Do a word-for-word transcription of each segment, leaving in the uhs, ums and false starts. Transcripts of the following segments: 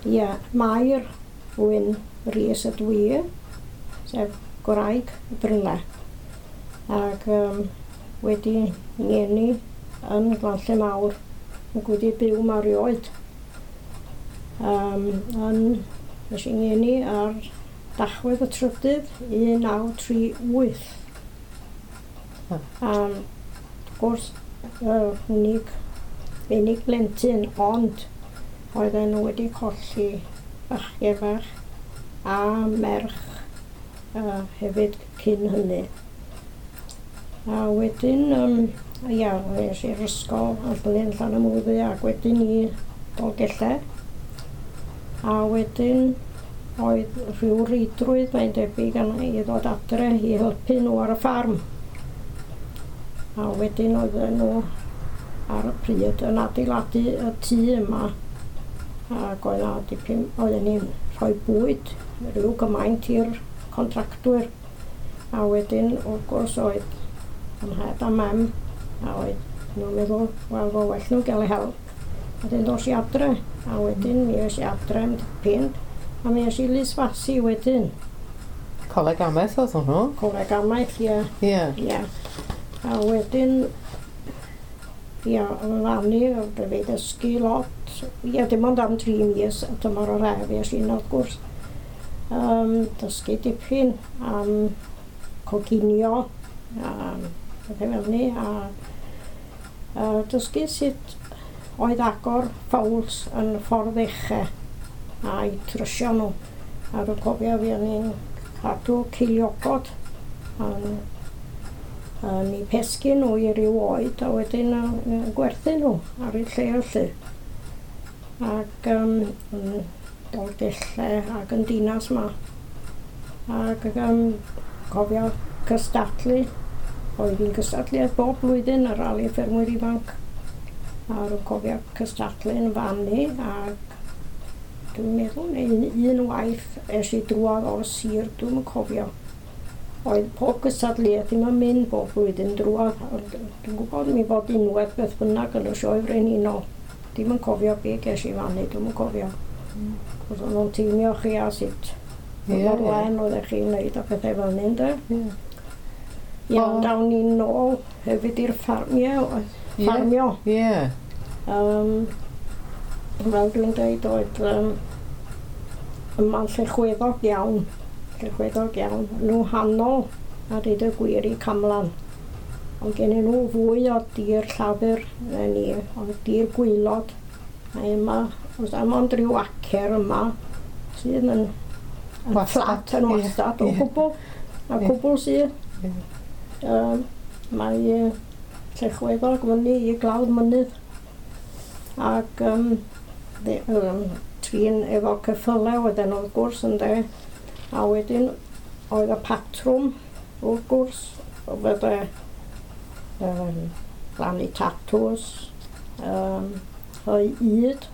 Ia, Mair Wyn Rees ydw i, sef gwraig Brynle. Ac um, wedi ngeni yn Glanlle Mawr ac wedi byw 'ma erioed. Um, yn, nes i ngeni ar Dachwedd y trydydd, un naw tri wyth. Ah. Um, wrth gwrs, uh, unig, unig blentyn, ond oedden nhw wedi colli bachgen bach a merch uh, hefyd cyn hynny. A wedyn, um, ia, es i'r ysgol Allyn Llanymwddy ac wedyn i Dolgellau. A wedyn oedd rhyw reidrwydd, mae'n debyg, arna i ddod adre i helpu nhw ar y ffarm. A wedyn oedden nhw ar y pryd yn adeiladu y tŷ yma. Ac oedd 'na dipyn, oedden ni'n rhoi bwyd rhyw gymaint i'r contractwyr. A wedyn, wrth gwrs, oedd yn nhad a mam, a oedd nhw'n meddwl, wel, fo well nhw gael eu help. A wedyn dos i adre, a wedyn mi es i adre am dipyn, a mi es i Lysfasi wedyn. Coleg Amaeth oedd hwnnw? Coleg Amaeth, ie. Ie. Ie. A wedyn, ia, yn fanny, fe ddysgu lot. Ia, dim ond am dri mis, y tymor o'r haf, es i wrth gwrs. Um, dysgu dipyn am coginio, a pethau fel 'ny, a, a dysgu sut oedd agor ffowls yn ffordd ucha a'i trwsio nhw. A dwi'n cofio fi o'n i'n cadw ceiliogod yn, yn eu pesgu nhw i ryw oed a wedyn yn gwerthu nhw ar eu lle felly. Ac um, yn Dolgellau ac yn Dinas 'ma. Ac um, cofio cystadlu, oedd hi'n cystadlu bob blwyddyn ar Rali Ffermwyr Ifanc. A dwi'n cofio cystadlu yn fanny ac dwi'n meddwl neu un waith es i drwodd o'r sir, dwi'm yn cofio. Oedd pob gystadleuaeth ddim yn mynd bob blwyddyn drwodd, ond dwi'n gwybod mi fod unwaith beth bynnag yn y Sioe Frenhinol. Dim yn cofio be ges i fanny, dwi'm yn cofio. Cos o'n nhw'n teimio chi a sut Ie, mor ie. wen oeddech chi'n neud a pethau fel 'ny, ynde? Ie. Ie, O. ond dawn ni nôl hefyd i'r ffarm, ie, Ie. ffarmio. Ie. Um, fel dwi'n dweud, oedd um, yma'n llechweddog iawn, llechweddog iawn. Nhw hanol, a dweud y gwir, i Camlan. Ond gen nhw fwy o dir llafur na ni, ond dir gwaelod. A yma, oes am ond rhyw acer yma sydd yn, yn Wastad, fflat, yn ie, wastad o ie. gwbl. A Ie. cwbl sydd. Ie. Um, mae uh, llechweddog fyny i glawdd mynydd. Ac um, de, um, trin efo ceffylau oedden nhw wrth gwrs ynde. A wedyn oedd y patrwm wrth gwrs, o fydde um, plannu tatws, um, rhoi ŷd.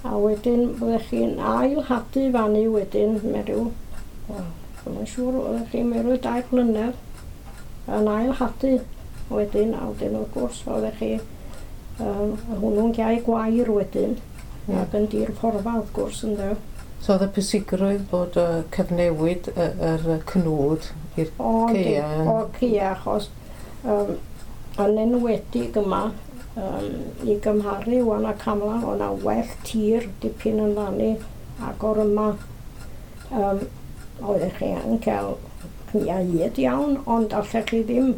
A wedyn byddech chi'n ail hadu fanny wedyn mewn rhyw, wel, dwi'm yn siŵr, oeddech chi'n mewn rhyw dair blynedd yn ail hadu wedyn, a wedyn wrth gwrs oeddech chi um, hwnnw'n gael gwair wedyn, Ie. ac yn dir porfa wrth gwrs ynde. So oedd y pwysigrwydd bod uh, cyfnewid y- yr y cnwd i'r O, yndi, ceia yn- o ceia, achos um, yn enwedig yma, um, i gymharu wan a Camlan, oedd 'na well tir dipyn yn fanny ac o'r yma. Um, oeddech chi yn cael cnia hyd iawn, ond allech chi ddim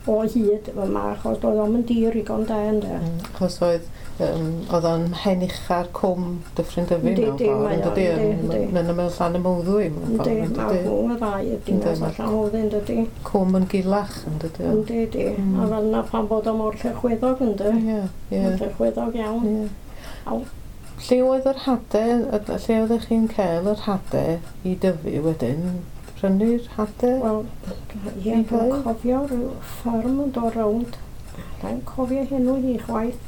o hyd yma, achos doedd o'm yn dir igon da ynde. Mm, Achos oedd, um, oedd o'n mhen ucha'r cwm Dyffryn Dyfi Yndi, mewn yndi, ffordd, mae yn o, dydi? yndi, yndi. Yn ymyl Llanymawddwy mewn Yndi, ffordd, yn mae dydi? rhwng y ddau y dinas Yndi, a ma' Llanwddyn, dydi? Cwm yn gulach, yn dydi? Yndi, yndi. Mm. A fel 'na pan bod o mor llechweddog, yndi? Ie, ie. Llechweddog iawn. Ie. Aw. Lle oedd yr hade, lle oeddech chi'n cael yr hade i dyfu wedyn? Prynu'r hade? Wel, ie, I dwi'n hau? cofio rhyw fferm yn dod rownd. Dwi'n cofio henw hi chwaith.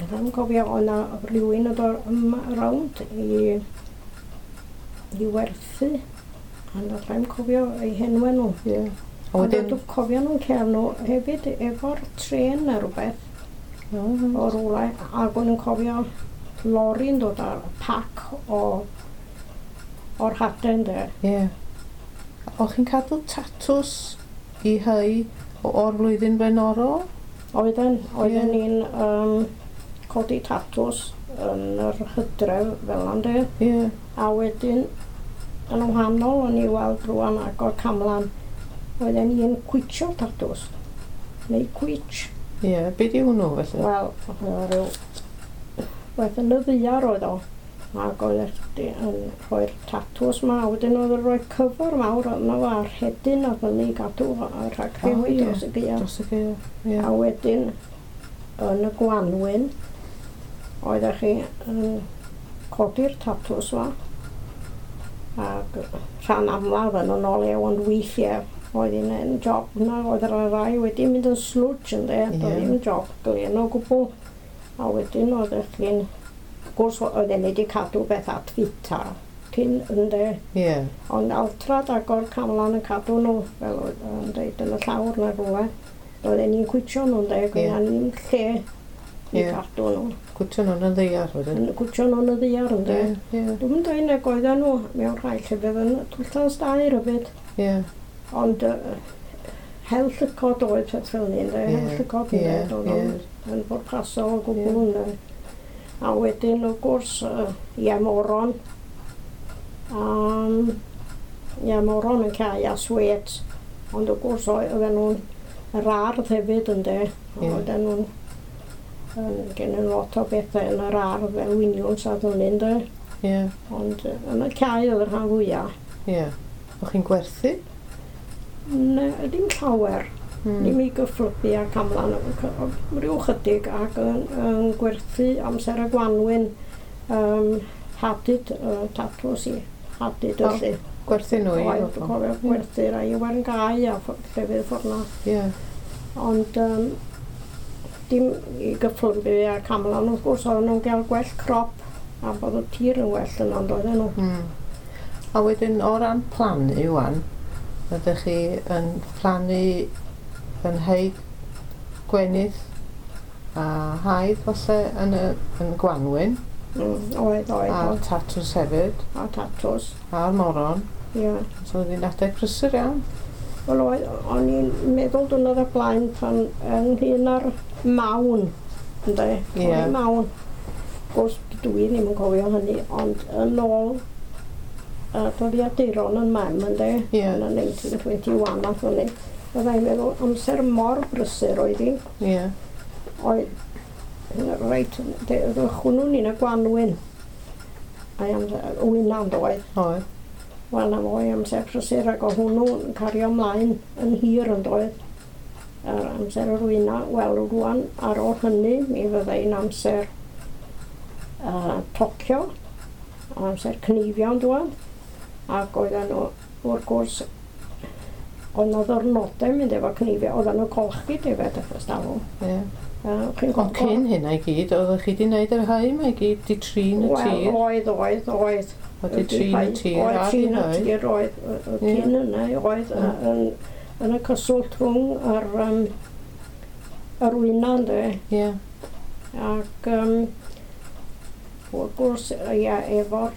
Dwi'n cofio oedd 'na rhywun yn dod yma rownd i, i werthu. Ond allai'm cofio eu henwau nhw. Ie. A Ond wedyn, dwi'n cofio nhw'n cael nhw hefyd efo'r tren neu rhywbeth. O, reit. O rwle, ac o'n i'n cofio lori'n dod ar pac o o'r hadau ynde. Ie. O'ch chi'n cadw tatws i hau o- o'r flwyddyn flaenorol? Oedden, oedden Ie. ni'n um, codi tatws yn yr hydref fel 'na ynde. Ie. A wedyn, yn wahanol o'n i weld rwan agor camlan, oedden ni'n cwitsio tatws, neu cwitch. Ie, be di hwnnw felly? Wel, oedd o ryw beth yn y ddaear oedd o. Ac oedd chdi yn rhoi'r tatws ma, a wedyn oedd yn rhoi cyfer mawr yno fo a'r rhedyn a fyny i gadw fo a rhag O, rhewi ie. dros y gaeaf. Dros y gaeaf, ie. A wedyn, yn y gwanwyn, oeddech chi yn codi'r tatws ma, ac rhan amlaf yn yn olew, ond weithiau oedd hi'n yn job na, oedd yr rai wedi mynd yn slwtsh ynde, Ie. doedd ddim job glên o gwbl. A wedyn oeddech chi'n, wrth gwrs oedden ni wedi cadw beth at fita cyn ynde, Ie. ond altrad agor camlan yn cadw nhw, fel oedd yn dweud yn y llawr na rhywle. Oedden ni'n cwitsio nhw ynde, Ie. gyda ni'n lle i Ie. cadw nhw. Cwtio nhw'n y ddaear wedyn. Yn cwtsio nhw yn y ddaear ynde. Ie, ie, Dwi'n dweud nag oedden nhw mewn rhai llefydd yn twlltan stair hefyd. ie. Ond uh, hel llygod oedd peth fel ni, ynde? Hel Ie, llygod ynde, ie, doedd o'n yn bwrpasol o gwbl Ie. ynde. A wedyn, wrth gwrs, uh, ie, moron. Um, ie, moron yn cael a swet. Ond wrth gwrs, oedd- oedden nhw'n yr ardd hefyd, ynde. Ie. Oedden nhw'n yn gennyn lot o bethau yn yr ardd fel winiwns a ddynnu, ynde. Ie, Ond yy, yn y cae oedd y rhan fwyaf. ie. O'ch chi'n gwerthu? Ne, ddim llawer. Mm. Ddim i gyfflybu a camlan, rhyw chydig ac yn, yn gwerthu amser y gwanwyn um, hadyd uh, tatws i hadyd O, felly. Gwerthu nhw i Oedd, bobl? cofio gwerthu rai i Werngau a ffo- llefydd ffordd 'na. Ie, Ond um, dim i gyfflybu a camlan wrth gwrs oedden nhw'n cael gwell crop a bod y tir yn well yna ond oedden nhw. Mm. A wedyn o ran plannu wan, ydych chi yn plannu yn hau gwenith a haidd falle yn y, yn y gwanwyn Mm, oedd, oedd, a'r oedd. tatws hefyd A tatws, a'r moron. ie. So oedd hi'n adeg prysur iawn. Wel oedd, o'n i'n meddwl diwrnod o'r blaen pan ynglyn â'r mawn, ynde? Ie. Torri Mawn. Gwrs, dwi ddim yn cofio hynny, ond yn ôl uh, dyddiaduron yn mam, ynde? Ie. Yn y nineteen twenty-one nath hynny. Byddai'n meddwl amser mor brysur oedd hi. Ie. Oedd, reit, hwnnw'n un y gwanwyn. A'i amser, wyna'n doedd. Oedd. Wel, na fo i amser prysur ac oedd hwnnw'n cario ymlaen yn hir yn doedd. Yr amser yr wyna, wel, rwan ar ôl hynny, mi fyddai'n amser uh, tocio, amser cneifio yn dŵad, ac oedden nhw, wrth gwrs, oedd 'na ddwrnodau mynd efo cneifio, oedden nhw'n golchi defaid y talwm. Ie. Uh, chi'n Ond cyn hynna i gyd, oeddech chi wedi gwneud yr hau 'ma i gyd, di trin y Wel, tir. Oedd, oedd, oedd. Wedi trin y tir Oedd a di trin y hau. Tir, oedd. y- y Ie. Cyn yna, oedd Mm. yn, yn y cyswllt rhwng yr, um, yr wyna, ynde. Ie. Ac um, wrth gwrs, ia, efo'r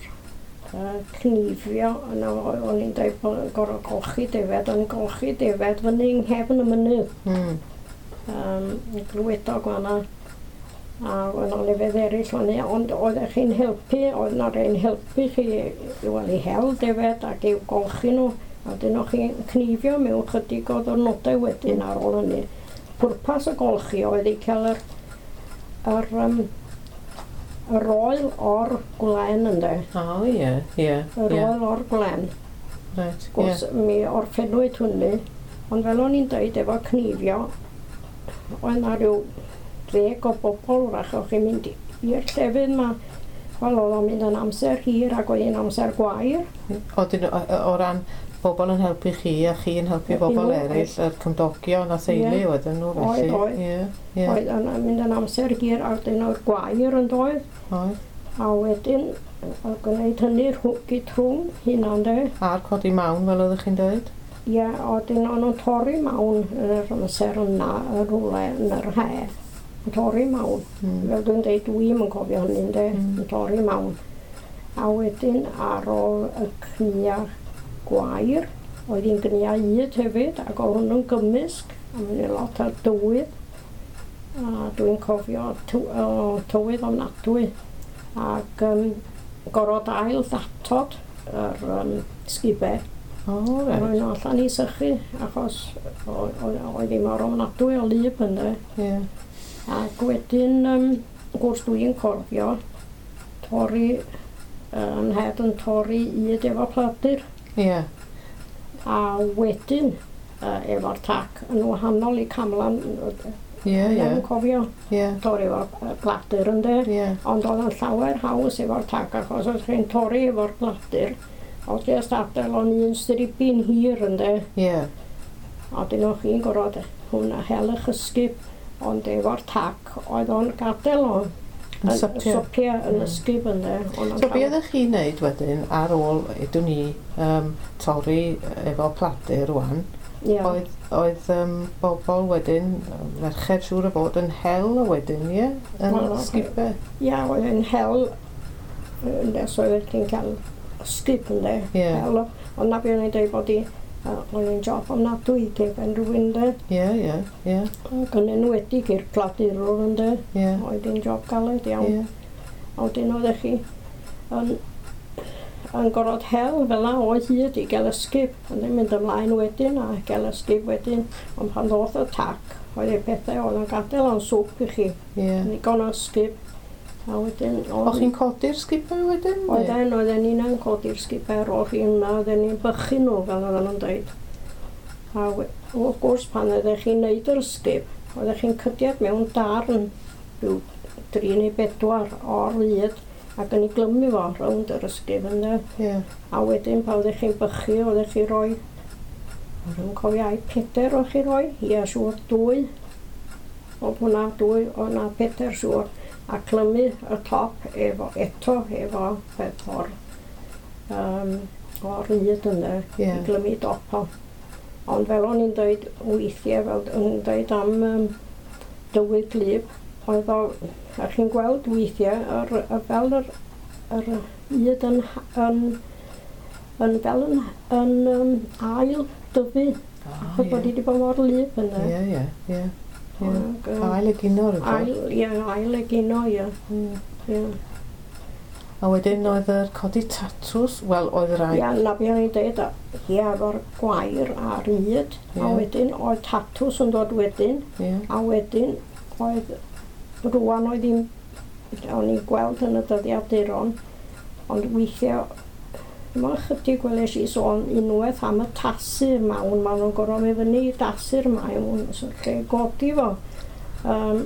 uh, cneifio, yna o'n i'n dweud bod yn gorfod golchi defaid, o'n i'n golchi defaid fyny yng nghefn y mynydd. Mm. Um, yn Glywedog fan'na. A oedd 'na lefydd eraill fyny, ond oeddech chi'n helpu, oedd 'na rei'n helpu chi, wel, i hel defaid ac i'w golchi nhw. A wedyn o'ch chi'n cneifio mewn chydig o ddwrnodau wedyn ar ôl hynny. Pwrpas y golchi oedd i cael yr, yr, um, yr oel o'r gwlen ynde. O, ie, ie. Yr Ie. oel o'r gwlen. Reit, ie. Gwrs, mi orffennwyd hynny, ond fel o'n i'n dweud efo cneifio, oedd 'na rhyw ddeg o bobl wrach o'ch chi'n mynd i'r llefydd 'ma. Wel, oedd o'n mynd yn amser hir ac oedd hi'n amser gwair. O, dyn, o, o ran bobl yn helpu chi a chi yn helpu Helpu bobl nhw, eraill, yr cymdogion a theulu Ie. oedden nhw Oedd, felly. oedd. Ie, ie. Oedd yn mynd yn amser hir a wedyn oedd gwair yn doedd. Oedd. A wedyn, oedd gwneud hynny rhw- gyd rhwng hynna, de. A'r codi mawn fel oeddech chi'n dweud? Ie, a wedyn o'n nhw'n torri mawn yn yr amser yna, yn rhywle yn yr he. Yn torri mawn. Mm. Fel dwi'n dweud, dwi'm yn cofio hynny, ynde, Mm. yn torri mawn. A wedyn ar ôl y cnia gwair, oedd hi'n gnia yd hefyd, ac oedd hwnnw'n gymysg, a mynd lot ar dywydd. A dwi'n cofio tyw, o, tywydd ofnadwy. Ac um, gorfod ail ddatod yr um, sgubau. O, Roi reit. nhw allan i sychu, achos o- o- oedd hi mor ofnadwy o lyb ynde. Ie. Ac wedyn, um, gwrs dwi'n cofio, torri, yn het yn torri yd efo pladur. Ie. A wedyn, uh, efo'r tac, yn wahanol i camlan, Ie, ie. yn cofio Ie. torri efo'r pladur ynde. Ie. Ond oedd yn llawer haws efo'r tac, achos oedd chi'n torri efo'r pladur, oedd jyst adael o'n un stribyn hir ynde. Ie. A dyn o'ch chi'n gorfod hwnna hel eich ysgub, ond efo'r tac oedd o'n gadael o. Yn sypio. Sypio yn Mm. ysgub ynde. Ond So be oeddech chi'n neud wedyn ar ôl, ydw ni, um, torri efo pladur rwan, Ie. oedd, oedd um, bobl wedyn, merched siŵr o fod yn hel o wedyn, ie? Yn Wel, sgubau. Ie, oedd yn hel, ynde, so oedd chi'n cael ysgub ynde. Ie. Hel o. Ond na be o'n i'n dweud bod i, yy, oedd hi'n job ofnadwy i ben rhywun ynde. Ie, ie, ie, Ac yn enwedig i'r pladurwr ynde. ie. Oedd hi'n job galed iawn. Ie. A wedyn oeddech chi yn, yn gorfod hel fel 'na o hyd i gael ysgub. Ond yn mynd ymlaen wedyn a gael ysgub wedyn. Ond pan ddoth y tac, oedd y pethau oedd yn gadael o'n swp i chi. Ie. Ddigon o ysgub. A wedyn... O'ch chi'n codi'r sgubau wedyn? neu? Oedden, oedden ni'n codi'r sgubau ar ôl chi yna, oedden ni'n bychu nhw fel oedden nhw'n dweud. A we- wrth gwrs pan oeddech chi'n neud yr ysgub, oeddech chi'n cydiad mewn darn rhyw dri neu bedwar o'r lyd ac yn ei glymu fo rownd yr ysgub ynde. Ie. A wedyn pan oeddech chi'n bychu, oeddech chi'n rhoi, dwi'n cofio ai peder o'ch chi roi, ia siŵr dwy, oedd hwnna dwy, oedd na peder siŵr, a clymu y top efo, eto efo peth o'r, um, o'r ryd yna, Ie. i glymu dop o. Ond fel o'n i'n dweud weithiau, fel o'n i'n dweud am um, dywydd gwlyb, oedd o, a chi'n gweld weithiau, yr, y, fel yr, yr yd yn, yn, yn fel yn, yn um, ail dyfu, Ah, achos bod ie. hi wedi bod mor wlyb yna. Ie, ie, ie. Ie. Ac, yym, Ail egino rhywbeth. Ail, ie, ail egino, ie. Ie. Ie, A wedyn oedd yr codi tatws, wel oedd rai... Ie, na be o'n i'n dweud, ie, efo'r gwair a'r yd, a Ie. wedyn oedd tatws yn dod wedyn, Ie. a wedyn oedd, rwan oedd hi'n, o'n i'n gweld yn y dyddiaduron, ond weithiau, dim ond chydig weles i sôn unwaith am y tasu'r mawn, maen nhw'n gorfod mynd fyny i dasu'r mawn, so lle godi fo, um,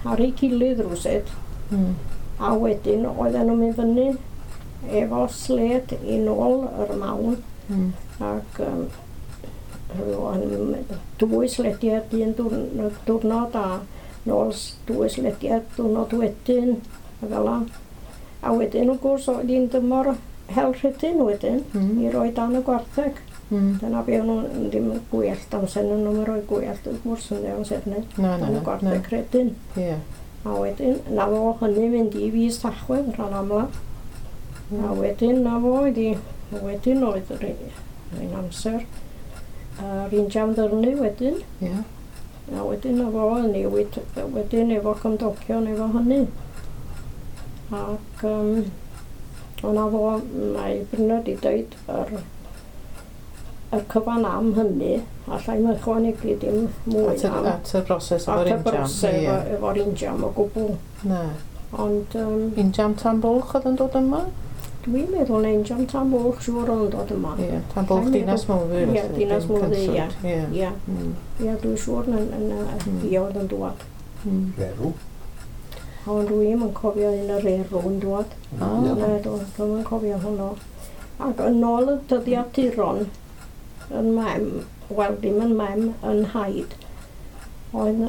ar ei gilydd rywsut. Mm. A wedyn oedden nhw'n mynd fyny efo sled i nôl yr mawn Mm. ac um, rwan, dwy slediad un dwrn- diwrnod a nôl s- dwy slediad diwrnod wedyn a fel 'a. A wedyn wrth gwrs oedd hi'n dymor hel rhedyn wedyn Mm. i roi dan y gwartheg. Mm. Dyna be o'n nhw'n ddim yn gwellt amser nhw'n nhw'n rhoi gwellt wrth gwrs yn amser hynny. Na, na, Dan y na. na. gwartheg rhedyn. Ie. A wedyn, na fo hynny mynd i fis Tachwedd rhan amla. A wedyn, na fo oedd hi, wedyn oedd yr un amser. Yr injan ddyrnu wedyn, Ie. a wedyn na fo yn newid, wedyn efo cymdogion efo hynny. Ac um, o'na fo, mae Brynna di dweud yr, yr cyfan am hynny, allai i'm ychwanegu dim mwy At y, am at y broses at efo'r y injam. broses Ie. efo, efo'r injam o gwbl. Na. Ond um, Injam tan bwlch oedd yn dod yma? Dwi'n meddwl na injan tan bwlch siŵr o'n dod yma. Ie. Tan bwlch Dwi'n Dinas Mowddwy. Ie, felly, Dinas dim Mowddwy, ie. Cynllwyd. Ie. Ie, Mm. ie, dwi'n siŵr na, na, na Mm. fi oedd yn dwad. Mm. Erw. Ond dwi'm yn cofio un yr erw yn dwad. Ah. Na, dwi- dwi'm yn cofio hwnnw. Ac yn ôl y dyddiaduron, yn mem, wel ddim yn mem, yn haid, oedd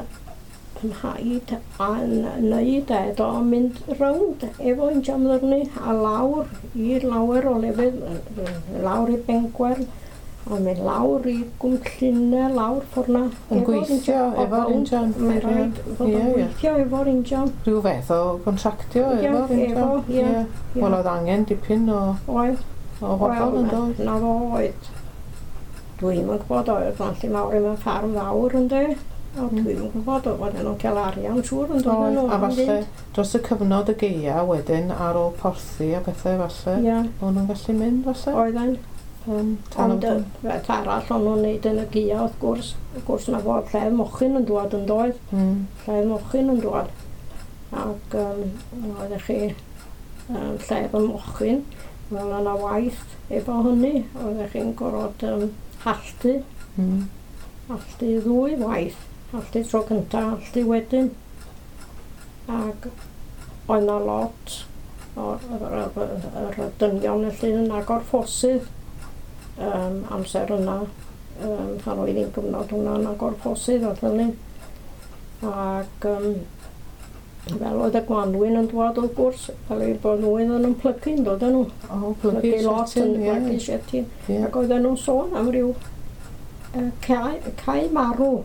yn haid a'n neud ed o mynd rownd efo injan ddyrnu a lawr i lawer o lefydd, lawr i Bengwern, O'n mynd lawr i Gwmllynau, lawr ffordd na. Yn gweithio efo'r injan. Mae'n rhaid fod yn gweithio efo'r injan. Rhyw fath o gontractio efo'r injan. Ie, Wel, oedd angen dipyn o... Oedd. O bobl yn dod. Na fo oedd. Dwi'm yn gwybod oedd Llanlli Mawr yn ffarm fawr ynde. A dwi'm yn gwybod oedd nhw'n cael arian siŵr yn dod nhw. A falle dros y cyfnod y gaea wedyn ar ôl porthi a bethau falle. Ie. O'n nhw'n gallu mynd falle. Oedden. Um, Ond beth arall o'n nhw'n neud yn y gaea wrth gwrs, wrth gwrs na fod lled mochyn yn dwad yn doedd, mm. Lled mochyn yn dwad. Ac um, oeddech chi um, lled y mochyn, wel yna waith efo hynny, oeddech chi'n gorfod um, halltu, mm. halltu ddwy waith, halltu tro cynta, halltu wedyn. Ac oedd 'na lot o'r yr, yr dynion felly yn agor ffosydd. Um, amser yna, um, pan oedd hi'n gyfnod hwnna'n agor ffosydd oedd hynny. Ac um, fel oedd y gwanwyn yn dwad wrth gwrs, fel ei bod nhw oedden nhw'n plygu yn dod nhw. O, plygu lot yn plygu shetyn. Ac oedden nhw'n sôn am ryw uh, cae, cae marw.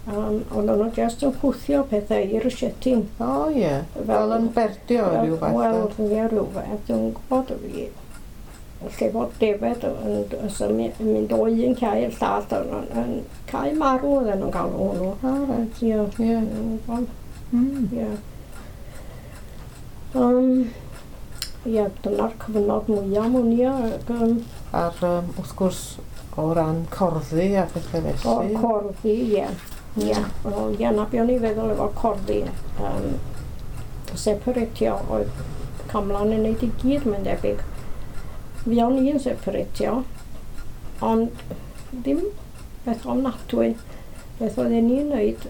Um, oedden nhw jyst yn chwthio pethau i'r shetyn. O ie, yeah. Fel yn berdio rhyw fath. Wel, ie, rhyw fath, dwi'n gwybod. Lle fod defed yn, yn, yn mynd o un cae i'r llall, yn, yn cae marw oedden nhw'n galw hwnnw. O, reit. Ie. Ie. Mm. Ie. Um, ie, dyna'r cyfnod mwyaf mwyn i. Ac, um, A'r, um, wrth gwrs, o ran corddi a phethau felly. O'r corddi, ie. Ie. Wel, ie, na be o'n i feddwl efo corddi. Um, separatio oedd Camlan yn neud i gyd, mae'n debyg. Fuon i'n separatio, ond ddim beth ofnadwy. Beth oedden ni'n neud,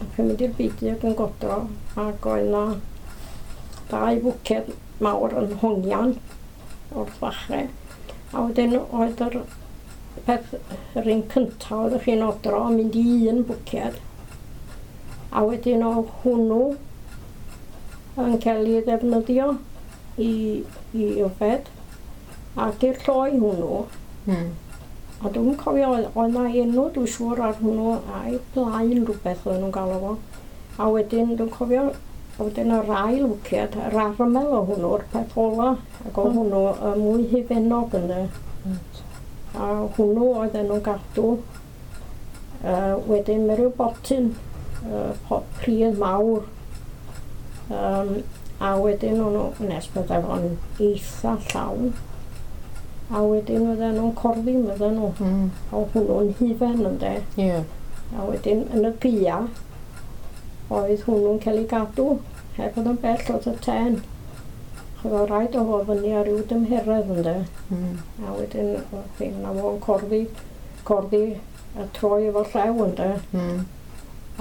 ac yn mynd i'r beudy ac yn godro, ac oedd 'na dau fwced mawr yn hongian wrth fachau. A wedyn oedd yr peth, yr un cyntaf oeddech chi'n odro yn mynd i un bwced. A wedyn oedd hwnnw yn cael ei ddefnyddio i, i yfed. Ac i'r lloi hwnnw, mm. a dwi'n cofio, oedd 'na enw dwi'n siŵr ar hwnnw, a'i blaen rhywbeth oedden nhw'n galw fo. A wedyn dwi'n cofio, wedyn yr ail wced, yr armel o hwnnw'r peth ola, ac oedd hwnnw y mwy hufennog ynddo. Right. A hwnnw oedden nhw'n gadw. Uh, wedyn mae rhyw botyn, uh, pot pridd mawr. Um, a wedyn o'n nhw, nes bydde fo'n eitha llawn. A wedyn oedden nhw'n corddi, oedden nhw. Mm. A hwnnw'n hufen ynde. Ie. Yeah. A wedyn yn y gaea, oedd hwnnw'n cael ei gadw, heb fod yn bell oedd y ten. Oedd o rhaid o fod fyny ar ryw dymheredd ynde. Mm. A wedyn oedd na fo'n corddi, corddi a troi efo llew ynde. Mm.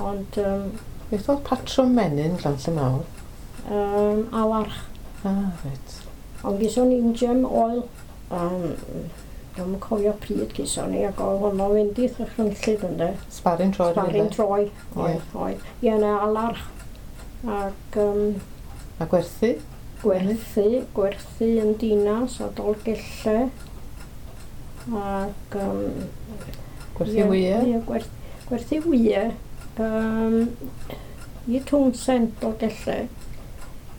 Ond... Um, Beth oedd patrwm menyn Llanlli Mawr? Um, alarch. Ah, reit. Ond gyson ni gem oil. Um, Dwi'm yn cofio pryd gyson ni, ac oedd honno fynd i ddychrynllyd ynde. Sbarin troi. Sbarin troi, oedd, oedd. Ie, na alarch. Ac... Um, a gwerthu? Gwerthu, gwerthu yn Dinas a Dolgellau. Ac... Um, gwerthu wyau? Ie, gwerth, gwerthu wyau. Um, i Twnsend Dolgellau.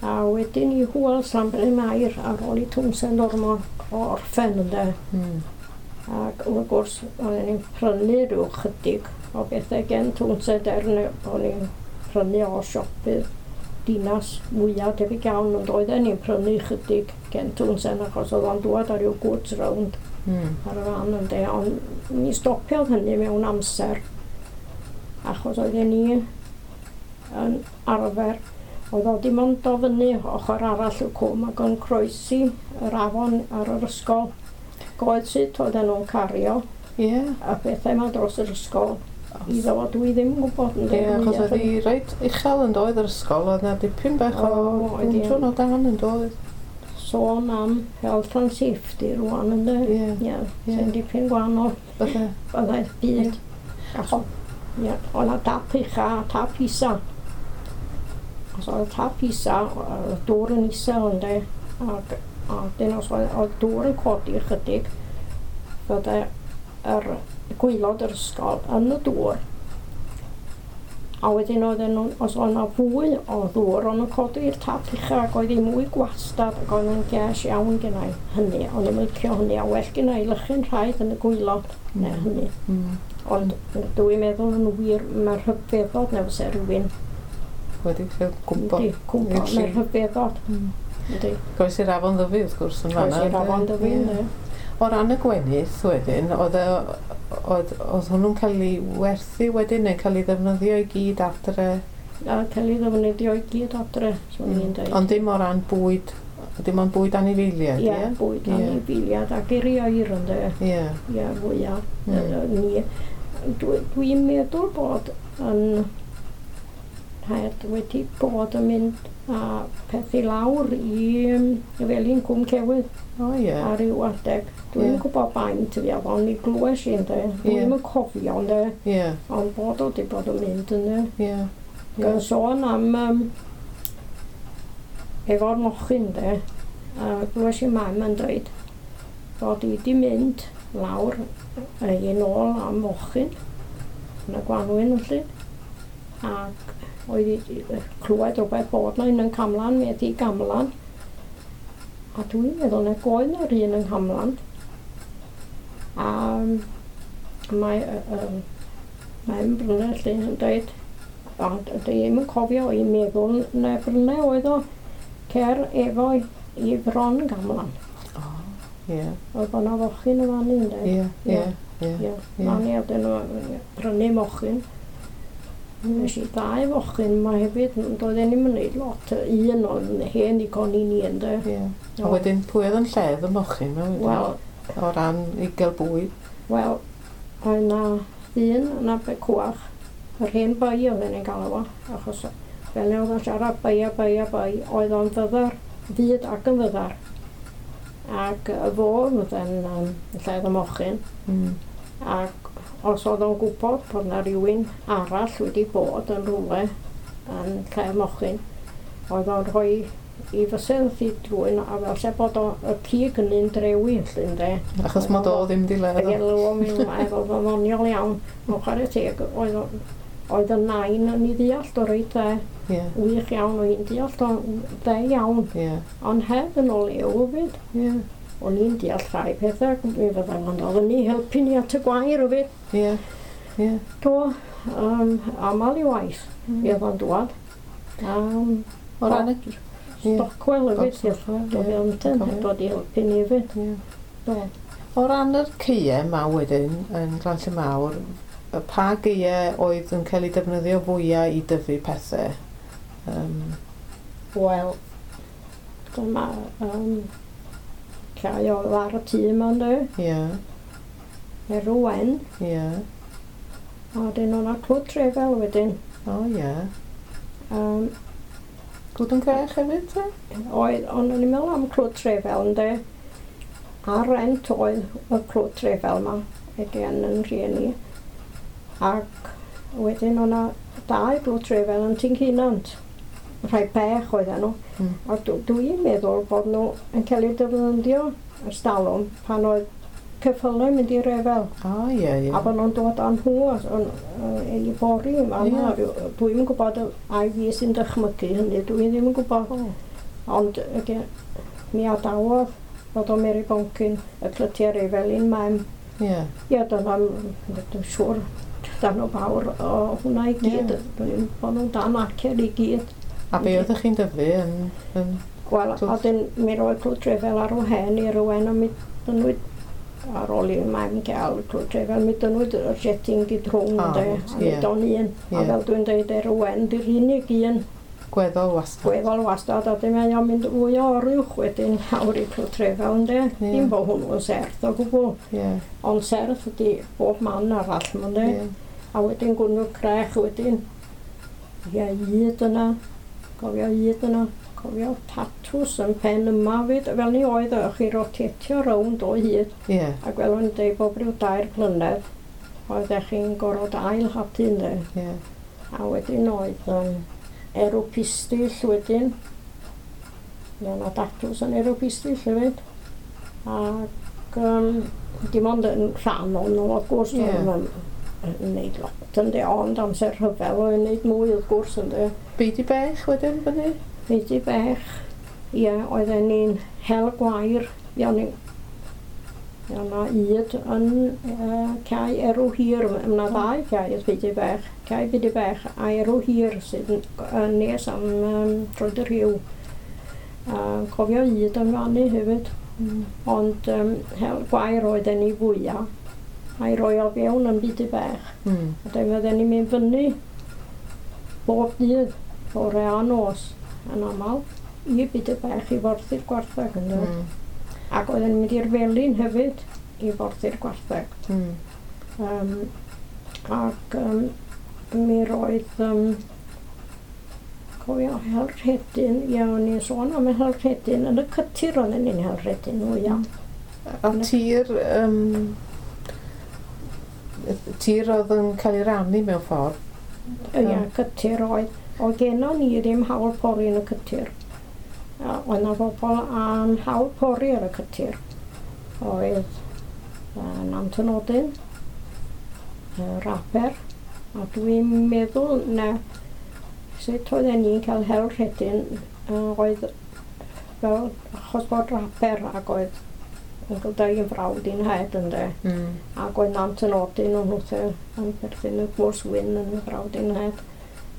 A wedyn i Hwyl Llanbryn Mair ar ôl i Twnsend ormod o orffen ynde. Mm. Ac wrth gwrs, oedden ni'n prynu rhyw chydig o bethau gen Twnsend er o'n ni'n prynu o siopydd Dinas mwyaf debyg iawn, ond oedden ni'n prynu chydig gen Twnsend achos oedd o'n dŵad ar ryw goods round mm. ar y fan ynde. Ond mi stopiodd hynny mewn amser achos oedden ni yn arfer. Oedd o dim ond o fyny ochr arall y cwm ac yn croesi yr afon ar yr ysgol. Goed sut oedden nhw'n cario yeah. a bethau yma dros yr ysgol. I ddod dwi ddim yn gwybod. Ie, yeah, achos oedd hi reit uchel yn doedd yr ysgol, oedd 'na dipyn bach o gwntwn o dan yn doedd. Sôn am health and safety rwan ynde. Ie. Ie, sy'n dipyn gwahanol. Bydde. Byddai'r byd. Ie, oedd 'na tap ucha a tap isa. Os oedd tap isa, oedd dŵr yn isel ynde, ac a dyn os oedd, oedd dŵr yn codi ychydig, fydde yr gwaelod yr ysgol yn y dŵr. A wedyn oedden nhw, os oedd yna fwy o ddŵr, o'n nhw'n codi'r tap ucha ac oedd hi mwy gwastad ac oedd yn ges iawn gennau hynny. O'n i'n licio hynny a well gennau lychu'n rhaid yn y gwaelod mm. neu hynny. Mm. Ond dwi'n meddwl yn wir, mae'r rhyfeddod neu fysa rhywun wedi cael cwmpo. Yndi, cwmpo, mae'r rhyfeddod. Mm. Goes i'r Afon Ddyfi wrth gwrs yn fan'na. Goes i'r Afon Ddyfi, ynddi. O ran y gwenith wedyn, oedd, oedd, oedd hwnnw'n cael ei werthu wedyn neu cael ei ddefnyddio i gyd adre? A cael ei ddefnyddio i gyd adre, swn i'n dweud. Ond dim o ran bwyd, dim ond bwyd anifeiliaid, ie? Ie, bwyd yeah. anifeiliaid ac i'r ieir ynddo. Ie. Ie, fwyaf. Mm. Ni. Dwi, dwi'n meddwl bod yn rhaid wedi bod yn mynd a peth i lawr i Felin Cwm Cewydd. O ie. Ar ryw adeg. Dwi'n yeah. gwybod baint fi oedd o'n i glywes i ynde. Dwi'n yeah. yn cofio ynde. Yeah. Ond bod o wedi bod yn mynd ynde. Ie. Yeah. Gan sôn am um, efo'r mochyn ynde. A glywes i mam yn dweud bod i wedi mynd lawr i nôl am mochyn yn y gwanwyn felly. Ac oedd i clywed rhywbeth bod na un yn Camlan, mi ydi Gamlan. A dwi'n meddwl na oedd na'r un yng Nghamlan. A mae um, mae'n Brynau lle yn dweud, a dwi ddim yn cofio i meddwl na Brynau oedd o cer efo i Fron Gamlan. O, ie. Oedd bod na fochyn yn fan hyn, Ie, ie, ie. Fan i oedden nhw prynu mochyn. Nes i ddau fochyn yma hefyd, doedden ni'm yn neud lot, un o'n hen ddigon i ni ynde. Ie. A wedyn pwy oedd yn lledd y mochyn yma wedyn? Wel, o ran i gael bwyd? Wel, oedd na ddyn yn Abercwach, yr hen bai oedden ni'n galw fo, achos fel oedd o'n siarad bai a bai a bai, oedd o'n fyddar, fyd ac yn fyddar. Ac fo oedd yn um, lledd y mochyn. Mm. Ac os oedd o'n gwybod bod na rhywun arall wedi bod yn rhywle yn lle'r mochyn, oedd o'n rhoi i fysedd i drwy'n a fel se bod o, y cig yn un drewi felly ynde. Achos mod o ddim di ledd. Ie, o'n meddwl oedd o'n ddoniol iawn. Mewn chwarae teg, oedd, oedd y nain yn ei ddeall o reit dde. Yeah. Wych iawn, oedd hi'n deall o dde iawn. Yeah. Ond heb yn ôl ew hefyd. Yeah. O'n i'n deall rhai pethau, mi fyddai ond oedd yn ei helpu ni at y gwair hefyd. Ie, ie. Do, um, aml i waith, mm. mi oedd o'n dwad. Um, o ran y... Stockwell hefyd, oedd o'n dod i helpu ni hefyd. Do. O ran yr caeau yma wedyn, yn Glan Mawr, pa gaeau oedd yn cael ei defnyddio fwyaf i dyfu pethau? Um, Wel, dyma... Um, Llai oedd ar y tŷ yma, ynddo? Ie. Erw Wen. Ie. A wedyn o'na Clwyd Trefel wedyn. O, ie. Um, Clwyd yn Crech hefyd, te? Oedd, ond o'n i'n meddwl am Clwyd Trefel, ynddo? Ar rent oedd y Clwyd Trefel yma, again yn rhieni. Ac wedyn o'na dau Clwyd Trefel yn Tincinant. Rhai bech oedden nhw. Mm. A dwi'n meddwl bod nhw yn cael eu defnyddio ers talwm pan oedd ceffylau mynd i refel. O, ie, ie. A bod nhw'n dod â nhw i bori yma. Yeah. Dwi'm yn gwybod ai fi sy'n dychmygu hynny, dwi ddim yn gwybod. Oh. Ond again, mi adawodd bod o Mary Boncyn y clytiau refel i'n mam. Ie. Ie, dyna, dwi'n siŵr, dan o fawr o hwnna i gyd. Yeah. Dwi'n bod nhw'n dan acer i gyd. A be oeddech chi'n dyfu yn... yn... Wel, a dyn mi roedd Clwyd Trefel ar wahân i rywun a mi dynwyd ar ôl i mam gael Clwyd Trefel, mi dynwyd y jetting gyd rhwng, oh, ynde, a mi yeah. don un. Yeah. A fel dwi'n dweud, Erwen, di'r unig un. Gweddol wastad. Gweddol wastad, a dyn mae o'n mynd fwy o oruwch wedyn lawr i Clwyd Trefel, ynde. Yeah. Dim bod hwnnw'n serth o gwbl. Yeah. Ond serth ydi bob man arall, ynde. Yeah. A wedyn Gwnnw Crech wedyn. Ie, hyd yna. Cofio hyd yna, cofio tatws yn pen yma fyd, fel ni oedd o, chi rotetio rownd o hyd. Yeah. Ac fel o'n deud bob rhyw dair blynedd, oeddech chi'n gorfod ail hadu ynde. Yeah. A wedyn oedd um, erw pistill wedyn. Mi oedd 'na datws yn erw pistill hefyd. Ac um, Dim ond yn rhan o'n nhw, wrth gwrs, Ie. yeah. yn wneud lot ynde, ond amser rhyfel oedd yn wneud mwy wrth gwrs ynde. Beudy Bech wedyn fyny? Beudy Bech, ie, oedden ni'n hel gwair, ie, o'n i'n Ie, yna ŷd yn uh, cae Erw Hir, mae yna ddau cae Beudy Bech, cae Beudy Bech a Erw Hir sydd yn, yn nes am um, Troed y Rhiw. Uh, cofio ŷd yn fannu hefyd, Mm. ond um, hel gwair oedden ni fwyaf, a'i roi o fewn yn Beudy Bech. Mm. A dyma oedden ni'n mynd fyny bob dydd, bore a nos, yn aml, i Beudy Bech i forthi'r gwartheg yn dod. Mm. Ac oedden ni'n mynd i'r felin hefyd i forthi'r gwartheg. Mm. Um, ac um, mi roedd, um, cofio hel rhedyn, ie, o'n i'n sôn am hel rhedyn, yn y cytir oedden ni'n hel rhedyn fwyaf. A tir, um, tir oedd yn cael ei rannu mewn ffordd. Ie, cytir oedd. Oedd gennon ni ddim hawl pori yn y cytir. A Oedd 'na bobl am hawl pori ar y cytir. Oedd uh, Nant y Nodyn, uh, Raper, a dwi'n meddwl na sut oedden ni'n cael hel rhedyn uh, oedd fel achos bod Raper ac oedd Uncle Dai yn frawd i'n nhaid ynde. Mm. Ac oedd Nant y Nodyn o'n hwthe yn perthyn y gwrs wyn yn frawd i'n nhaid.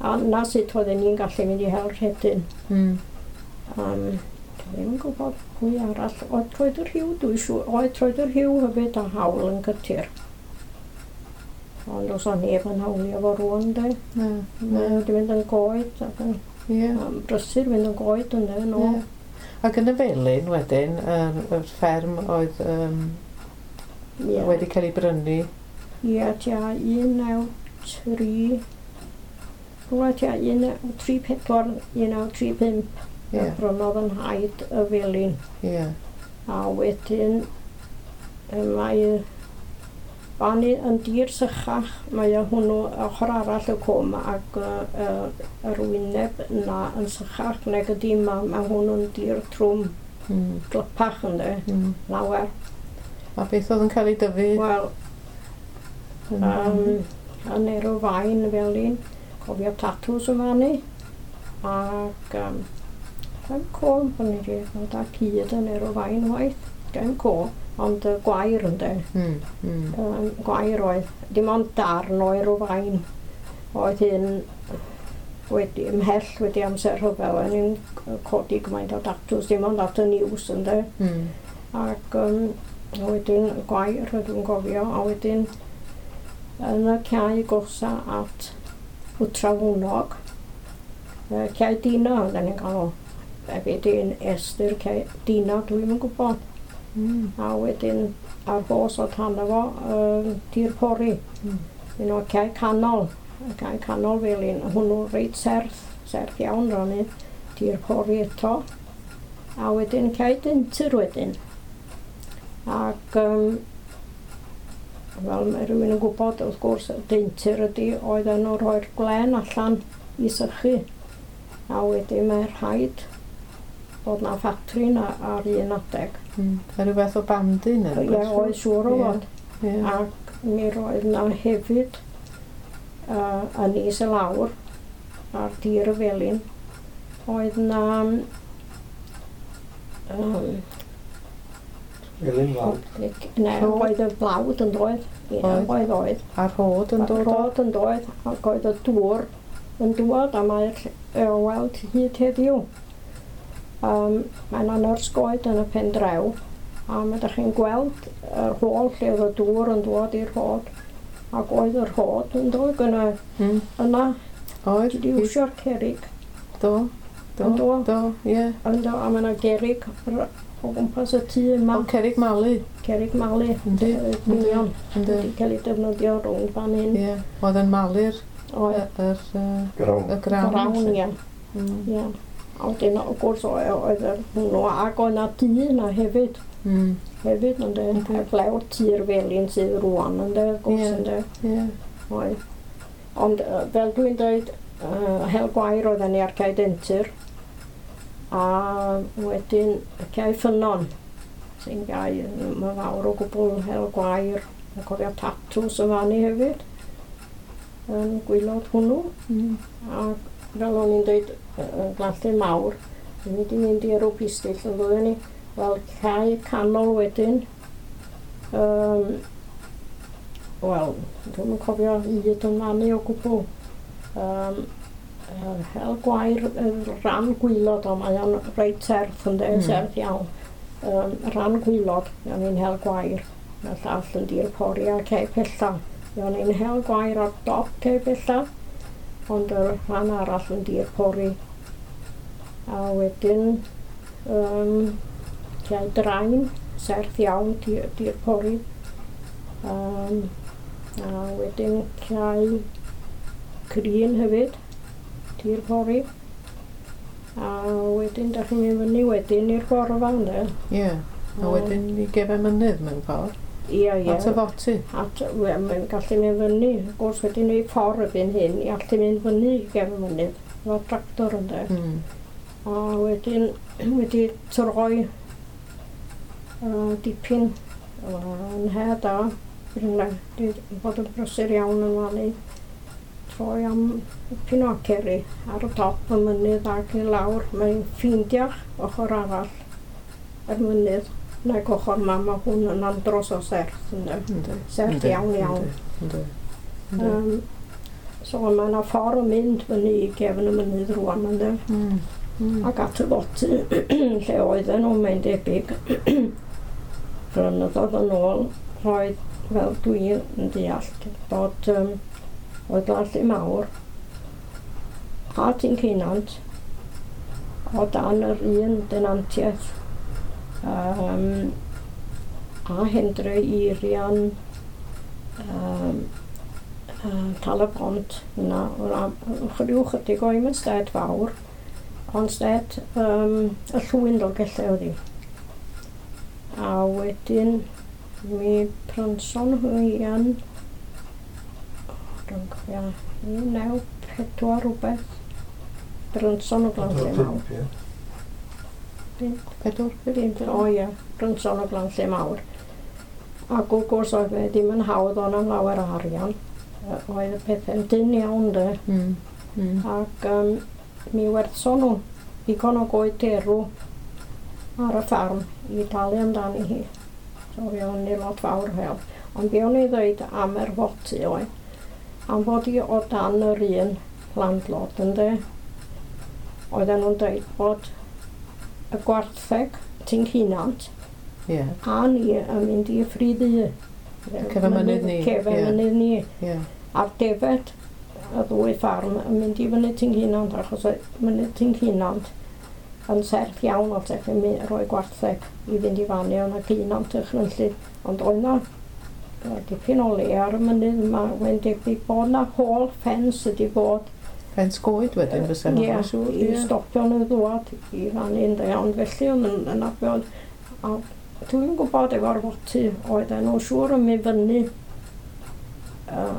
A na sut oedden ni'n gallu mynd i hel rhedyn. Mm. Um, dwi ddim yn gwybod pwy arall. Oedd Troed y Rhiw, dwi'n siŵr. Oedd Troed y Rhiw hefyd a hawl yn cytir. Ond os o'n neb yn hawlio fo rŵan, de. Na, Mae na. wedi mynd yn goed ac yn Ie. um, brysur mynd yn goed yn de, no. Ie. Ac yn y Felin wedyn, yr, yr fferm oedd um, Ie. wedi cael ei brynu. Ie, tua un naw tri... Rhywle tua un naw tri pedwar, un naw tri pump. Ie, Yeah. Brynodd yn nhaid y Felin. ie. A wedyn yy, mae fan i yn dir sychach, mae o hwnnw ochr arall y cwm ac yy, yy, yr wyneb yna yn sychach nag ydy yma, mae hwnnw'n dir trwm Mm. glypach ynde, Mm. lawer. A beth oedd yn cael ei dyfu? Wel, yn- um, yn Erw Fain Felin, cofio tatws yma ni, ac um, yn co, o'n i wedi bod â cyd yn Erw Fain waith, gen co, ond y gwair ynde. Mm. Mm. um, gwair oedd, dim ond darn o Erw Fain oedd hyn wedi, ymhell wedi amser rhyfel, o'n i'n codi gymaint o datws, dim ond at y news ynde. Mm. Ac um, wedyn gwair ydw i'n gofio, a wedyn yn y cae gosa at Wtrafwnog, yy, cae Dina oedden ni'n galw. E be di'n estyr cae Dina, dwi'm yn gwybod. Mm. A wedyn ar bos o tan fo, uh, tir pori. Mm. Un o'r cae canol, y cae canol felin, hwnnw reit serth, serth iawn ro'n i, tir pori eto. A wedyn cae dyntyr wedyn. Ac um, fel mae rhywun yn gwybod, wrth gwrs, y deintyr ydy oedden nhw'n rhoi'r gwlen allan i sychu. A wedyn mae rhaid bod na ffatri na ar un adeg. Mm. A rhyw fath o bandu neu Ie, rhywbeth? oedd siŵr o Ie. fod. Ie. Ac mi roedd na hefyd uh, yn is y lawr ar dir y felin oedd na um, Felin Fawr. ne, Rhod? oedd y blawd yn doedd. Ie, Oedd. oedd oedd. A'r rhod yn dod o? Rhod yn doedd ac oedd y dŵr yn dŵad a mae'r lle- o weld hyd heddiw. Um, mae yna nyrs goed yn y pen draw a mae ydych chi'n gweld yr hôl lle oedd y dŵr yn dod i'r rhod ac oedd y rhod yn dod gyna Mm. yna Oedd? wedi iwsio'r cerrig Do. Do. Yn do. Do, ie. yn do, a mae yna gerrig r- o gwmpas y tŷ yma O, cerrig malu. cerrig malu Yndi, yy, yndi. union Yndi. wedi cael ei defnyddio rownd fan hyn Ie. Oedd yn malu'r oedd yr, yy, Grawn. y grawn. grawn felly. ie Mm. Ie. A wedyn, wrth gwrs, oedd oedd yr hwnnw, ac oedd 'na dŷ yna hefyd, Mm. hefyd, ynde, Yndi. heblaw tŷ'r felin sydd rŵan, ynde, wrth gwrs, Ie. ynde, Ie. oedd. Ond, yy, fel dwi'n dweud, uh, hel gwair oedden ni ar Cae Dentir, a wedyn y Cae Ffynnon, Sy'n gau, mae fawr o gwbl hel gwair. Mae'n cofio tatws yn fannu hefyd. Yn gwylod hwnnw. Mm. A fel o'n i'n dweud, yn Glanllyn Mawr, ni'n wedi mynd i Erw Pistyll yn ddwy ni. Wel, cae canol wedyn. Um, Wel, dwi'm yn cofio hyd yn fannu o gwbl. Um, hel gwair, rhan gwylod o, mae o'n reit serth ynde, Mm. serth iawn. Um, rhan gwylod, o'n i'n hel gwair. Mae'r llall yn dir pori a cae pella. O'n i'n hel gwair ar dop cae pella, ond y rhan arall yn dir pori. A wedyn, um, cae drain, serth iawn, dir, dir pori. Um, a wedyn cae crin hefyd, tir pori. A wedyn, da chi'n mynd fyny wedyn i'r gorfa, ynde? Ie. A wedyn i gefen mynydd mewn ffordd. Ie, ie. At y foty. At, we, mae'n gallu mynd fyny. Wrth gwrs wedi gwneud ffordd erbyn hyn i allu mynd fyny i gefn mynydd. Efo tractor ynde. Mm. A wedyn wedi troi uh, dipyn yn he da. Wedi bod yn brysur iawn yn fannu. Troi am dipyn o aceri ar y top y mynydd ac i lawr. Mae'n ffeindiach ochr arall y mynydd nag ochr ma, mae hwn yn andros o serth ynde. Yndi. Serth Yndi, iawn iawn. Yndi. Yndi. Um, so mae yna ffordd yn mynd fyny i gefn y mynydd rwan ynde. Mm. Mm. Ac at y foty lle oedden nhw, mae'n debyg, flynyddoedd yn ôl, roedd, fel dwi yn deall, bod um, oedd Glanllyn Mawr a Tyn Ceunant o dan yr un denantiaeth um, a Hendre Irian um, uh, Tal-y-bont yna, rhyw chydig o i'm yn sted fawr, ond sted um, y llwyn Dolgellau oedd hi. A wedyn mi prynson nhw yn, dwi'n cofio, un naw pedwar rhywbeth, brynson o Glanllyn Mawr. Pump, ie. Pedwar? Pump, o ie, brynson o Glanllyn Mawr. Ac wrth gwrs oedd e ddim yn hawdd o'n am lawer o arian. Yy, Oedd y pethau'n dynn iawn de. Mm. Mm. Ac um, mi werthson nhw ddigon o goed derw ar y ffarm i dalu amdani hi. So fe o'n i lot fawr o help. Ond be o'n i ddweud am yr foty oedd, am fod i o dan yr un landlord ynde, oedden nhw'n dweud bod y gwartheg Tyn Ceunant Ie. a ni yn mynd i Ffridd Ddu. Cefen mynydd ni, Cefen ie. mynydd ni. Ie. A'r defed y ddwy ffarm yn mynd i fyny Tyn Ceunant achos oedd mynydd Tyn Ceunant yn serth iawn o te chi'n mynd rhoi gwartheg i fynd i fannu o'na ceunant ychrynllyd. Ond oedd na yy, dipyn o le ar y mynydd yma, mae'n debyg bod na hôl ffens ydi bod Ffens goed wedyn fysa Ie, hwnna siŵr. i Ie. stopio nhw ddwad i fannu ynde, ond felly oedd yn yna be oedd, a dwi'n gwybod efo'r foty oedden nhw siŵr yn mynd fyny uh,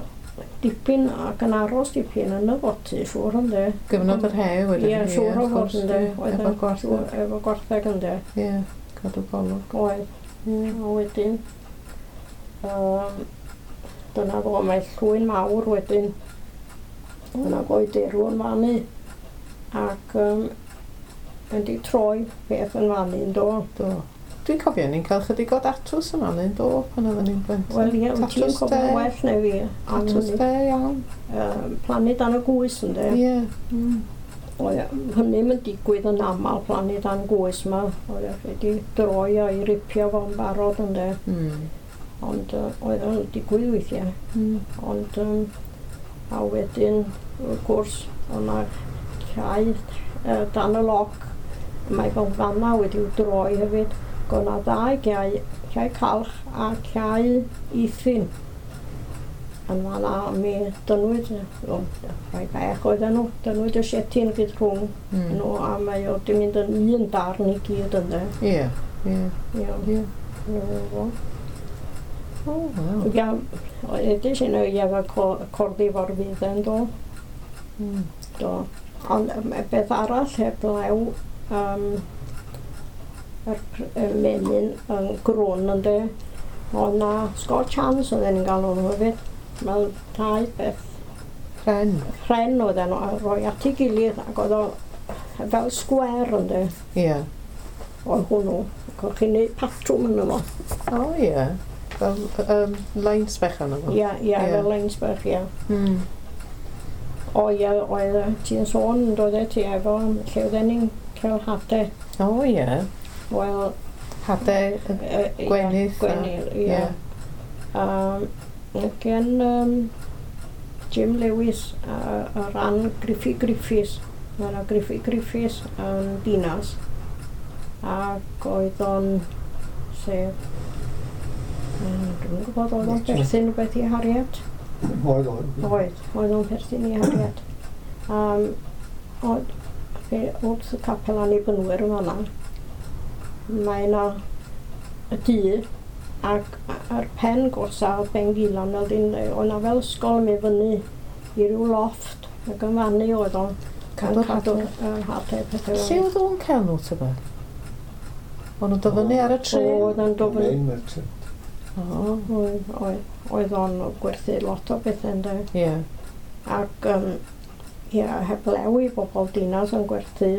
dipyn ac yn aros dipyn yn y foty, siŵr ynde. Gyfnod yr he wedyn. Ie, siŵr o wrth fod gwrs, ynde. ie, Oedd Efo yn gwartheg. Efo gwartheg ynde. Ie, cadw golwg. Oedd. Ie. A wedyn, um, dyna fo, mae llwyn mawr wedyn. Yna goed derw yn fannu. Ac um, yn di troi beth yn fannu yn do. Do. Dwi'n cofio ni'n cael chydig o datws yma yn do pan oedden ni'n blentyn. Wel ie, wyt ti'n Tatws cofio de. well na fi. am Tatws hynny. de, iawn. Yym, plannu dan y gwys ynde. Ie. Mm. Oedd hynny'm yn digwydd yn aml plannu dan gwys yma. Oedd e wedi droi a'i ripio fo'n barod ynde. Mm. Ond uh, oedd o'n digwydd weithiau. Mm. Ond um, a wedyn, wrth gwrs, o'na cae uh, dan y loc. Mae fel fanna wedi'w droi hefyd. Ac o'na ddau gae, cae calch a cae eithin. Yn fanna mi dynnwyd, o, rhai bech oedden nhw, dynnwyd y sietyn gyd rhwng Mm. nhw a mae o di mynd yn un darn i gyd ynde. Ie. Ie. Ie, Ie. ie, fo. O, waw. Ia, edrych yn ei efo co- corddi fo'r fydden do. Mm. Do. Ond yym, y beth arall heblaw um, yr y menyn yn grwn ynde. Oedd na Scotch Hands oedden ni'n galw nhw hefyd. Fel dau beth. Pren. Pren oedden nhw a rhoi at ei gilydd ac oedd o fel sgwer ynde. Ie. Oedd hwnnw. Ac o'ch chi'n neud patrwm yno fo. O ie. Fel um, lines bechan o fo. Ie, ie, Ie. fel lines bach, ie. Mm. O ie, oedd ti'n sôn yn dod ti efo lle oedden ni'n cael hadau. O ie. Wel, Hade y yy, ie, gwenith. a- Gwenith, ie. Ie. Um, gen um, Jim Lewis a, a ran Griffith Griffiths. Mae yna Griffith Griffiths yn Dinas. Ac oedd o'n sef... mm, Dwi'm yn gwybod oedd o'n perthyn rhywbeth i Harriet. Oedd, oedd. Oedd, oedd o'n perthyn i Harriet. Um, oedd, fe, wrth y capel Annibynwyr yn fan'na, mae yna y dŷ ac ar pen gorsa o Ben Gilan, oedd yna fel ysgol yn mynd fyny i ryw lofft ac yn fannu oedd o'n Cadw'r cadw hadau. yy, hadau pethau Lle fel oedd o'n cael nhw tybed? O'n nhw'n dod fyny ar y trên? Oedd yn dod fyny. Main merchant. O, Oedd, oedd, oedd o'n gwerthu lot o bethau ynde. ie. Ac um, ia, heblew i bobl dinas yn gwerthu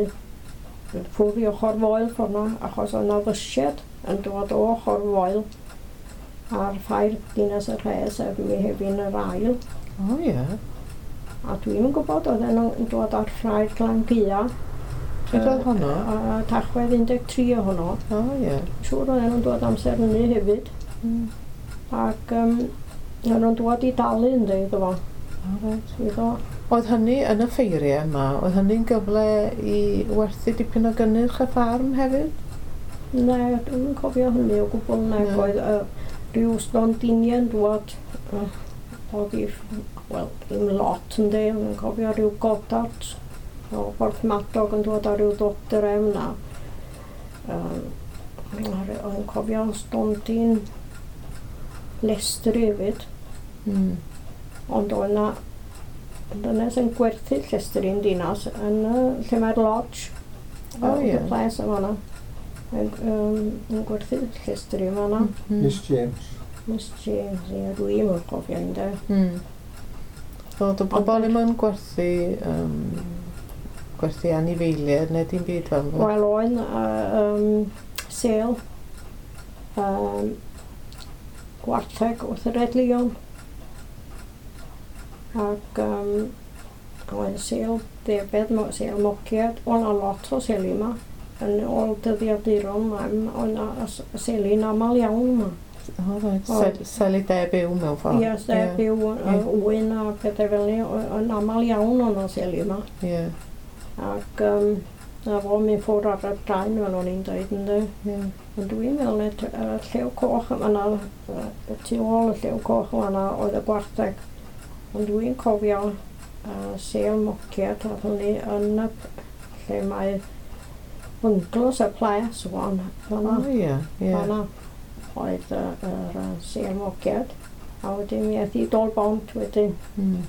ffwrdd i ochr foel ffordd 'na, achos oedd 'na fysied yn dod o ochr foel ar ffair Dinas y Rhes sef Mehefin yr ail. O ie. A dwi'm yn gwybod oedden nhw'n dod ar ffair Glangia. Pryd oedd honno? Uh, Tachwedd un deg tri ohono. O ie. Siŵr oedden nhw'n dod amser hynny hefyd. Mm. Ac um, oedden nhw'n dod i dalu ynddo iddo fo. O reit. Iddo. Oedd hynny yn y ffeiriau yma, oedd hynny'n gyfle i werthu dipyn o gynnyrch y ffarm hefyd? Ne, dwi'm yn cofio hynny o gwbl nag Na. oedd uh, rhyw stondiniau'n dod uh, oedd i, wel, ddim lot ynddi, ond yn cofio rhyw godart o Borthmadog yn dod ar ryw ddodrefn a um, oedd yn cofio stondin llestri hefyd, Mm. ond oedd na dynes yn gwerthu llestri yn dinas yn y, lle mae'r lodge O, yy, ie. y ples yn fan'na yn, um, yn gwerthu llestri yn fan'na. Mm. Miss James. Miss James, ie, dwi'm yn cofio ynde. Mm. Oedd y bobl ddim yn gwerthu, um, gwerthu anifeiliaid neu dim byd fel yna? Wel, oedd uh, um, sêl um, gwartheg wrth y Red Lion. Ac um, oedd sêl ddefed, mo- sêl mociad, oedd 'na lot o seli yma. Yn ôl dyddiaduron, oedd 'na s- seli'n aml iawn yma. O reit, Oedd. Sel- seli de byw mewn ffordd. Ie, sef byw Ie. ŵyn a pethau fel 'ny, o- yn aml iawn o'n seli yma. Ie, Ac um, na fo mynd ffwrdd ar y draen fel o'n i'n dweud ynde. ie. Ond dwi'n meddwl net, y Llew Coch yn fan'na, yy, tu ôl y Llew Coch yn fan'na oedd y gwartheg. Ond dwi'n cofio uh, sêl mociad a hynny yn y p- lle mae bungalows y ples wan O fan'na. ie, ie. Fan'na oedd y, yr yy, sêl mociad. A wedyn mi aeth i Dol Bont wedyn. Mm.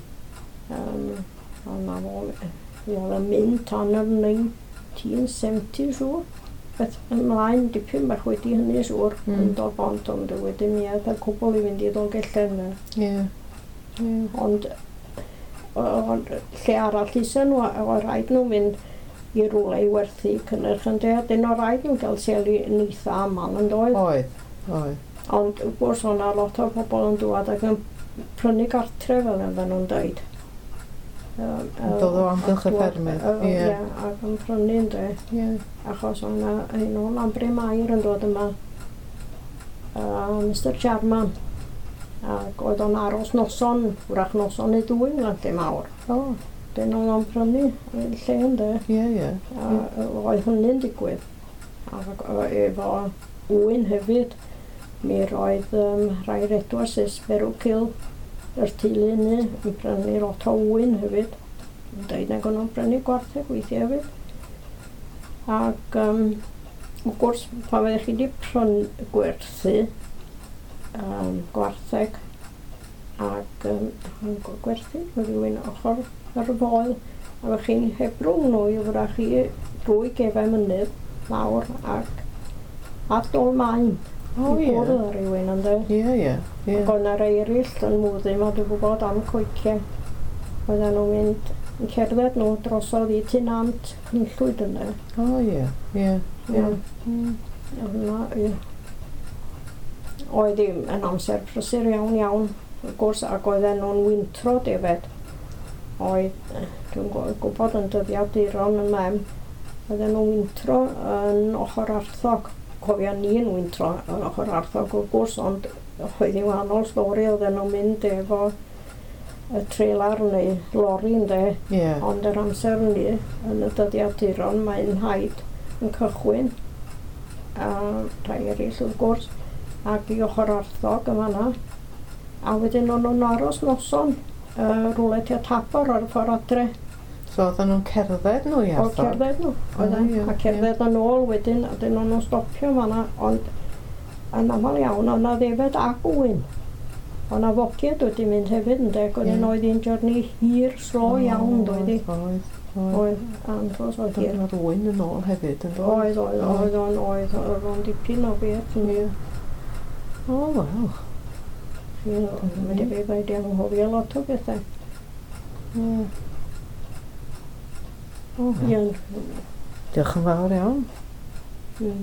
Um, a na fo, mi oedd yn mynd tan yr nineteen seventy siŵr. Beth ymlaen dipyn bach wedi hynny siŵr Mm. yn Dol Bont, ond wedyn mi aeth y cwbl i fynd i Ddolgellau. Ie. Ie. Ond o- ond lle arall isa nhw, a oedd rhaid nhw fynd i rywle i werthu cynnyrch yn de, dyn o rhaid nhw gael seli yn eitha aml yn doedd. Oedd, oedd. Ond wrth gwrs o'na lot o bobl yn dŵad ac yn prynu gartre fel oedden nhw'n dweud. Yym, Yn dod o amgylch y dŵad- ffermydd, yy, ie. Ie, ac yn prynu ynde, Ie. achos o'na un o Llanbryn-mair yn dod yma, uh, Mister Jarman, ac oedd o'n aros noson, wrach noson neu ddwy yn lle mawr. O, Dyn oedd o'n prynu y lle ynde, ie, ie. a oedd hynny'n digwydd. Ac yy, efo ŵyn hefyd, mi roedd um, rhai'r Edwardses, Berwcil, yr teulu hynny, yn prynu lot o ŵyn hefyd. Yn dweud nag o'n nhw'n prynu gwartheg weithiau hefyd. Ac um, wrth gwrs, pan fyddech chi wedi prynu gwerthu um, gwartheg ac um, yn gwerthu, oedd rhywun ochr yr foel, a fyddech chi'n hebrwng nhw i wrach chi drwy gefau mynydd lawr ac At Dôl Maen. O, I ie. gwrdd â rhywun, ynde. Ie, ie, ie. Ac oedd 'na rei eraill yn mwddu 'ma, dwi'n gwybod am coeciau. Oedden nhw'n mynd yn cerdded nhw drosodd i Tŷ Nant Cynllwyd ynde. O, ie, ie, ie. Ie. Hwnna, ie. Oedd hi'n yn amser prysur iawn iawn, wrth gwrs, ac oedden nhw'n wintro defed. Oedd, eh, dwi'n gw- gwybod yn dyddiaduron yn mem, oedden nhw'n wintro yn ochr Arthog. Cofio ni yn wintro yn ochr Arthog wrth gwrs, ond oedd hi'n wahanol stori, oedden nhw'n mynd efo y trelar neu lori ynde. Ie. Ond yr amser ni, yn y dyddiaduron, mae'n nhaid yn cychwyn, a rhai eraill wrth gwrs, ac i ochr Arthog yn fan'na. A wedyn o'n nhw'n aros noson, uh, rhywle tua Tabor ar y ffordd adre. So oedden nhw'n cerdded nhw i O Arthog? cerdded nhw, oedden. O, ie, A cerdded yn ôl wedyn, a dyn o'n nhw'n stopio fan'na, ond yn aml iawn, o'na ddefed ac ŵyn. O'na fogiad wedi mynd hefyd ynde, ac wedyn Ie. oedd hi'n journey hir, slo iawn, doedd hi. Oedd, oedd. Oedd, andros o hir. Oedd ŵyn yn ôl hefyd, yn doedd? Oedd, oedd, oedd o'n, oedd, oedd o'n dipyn o beth. Ie. O, wel. Ie, Mae'n debyg wedi anghofio lot o bethau. Ie. O, wel. Ie. Diolch yn fawr iawn. Ie.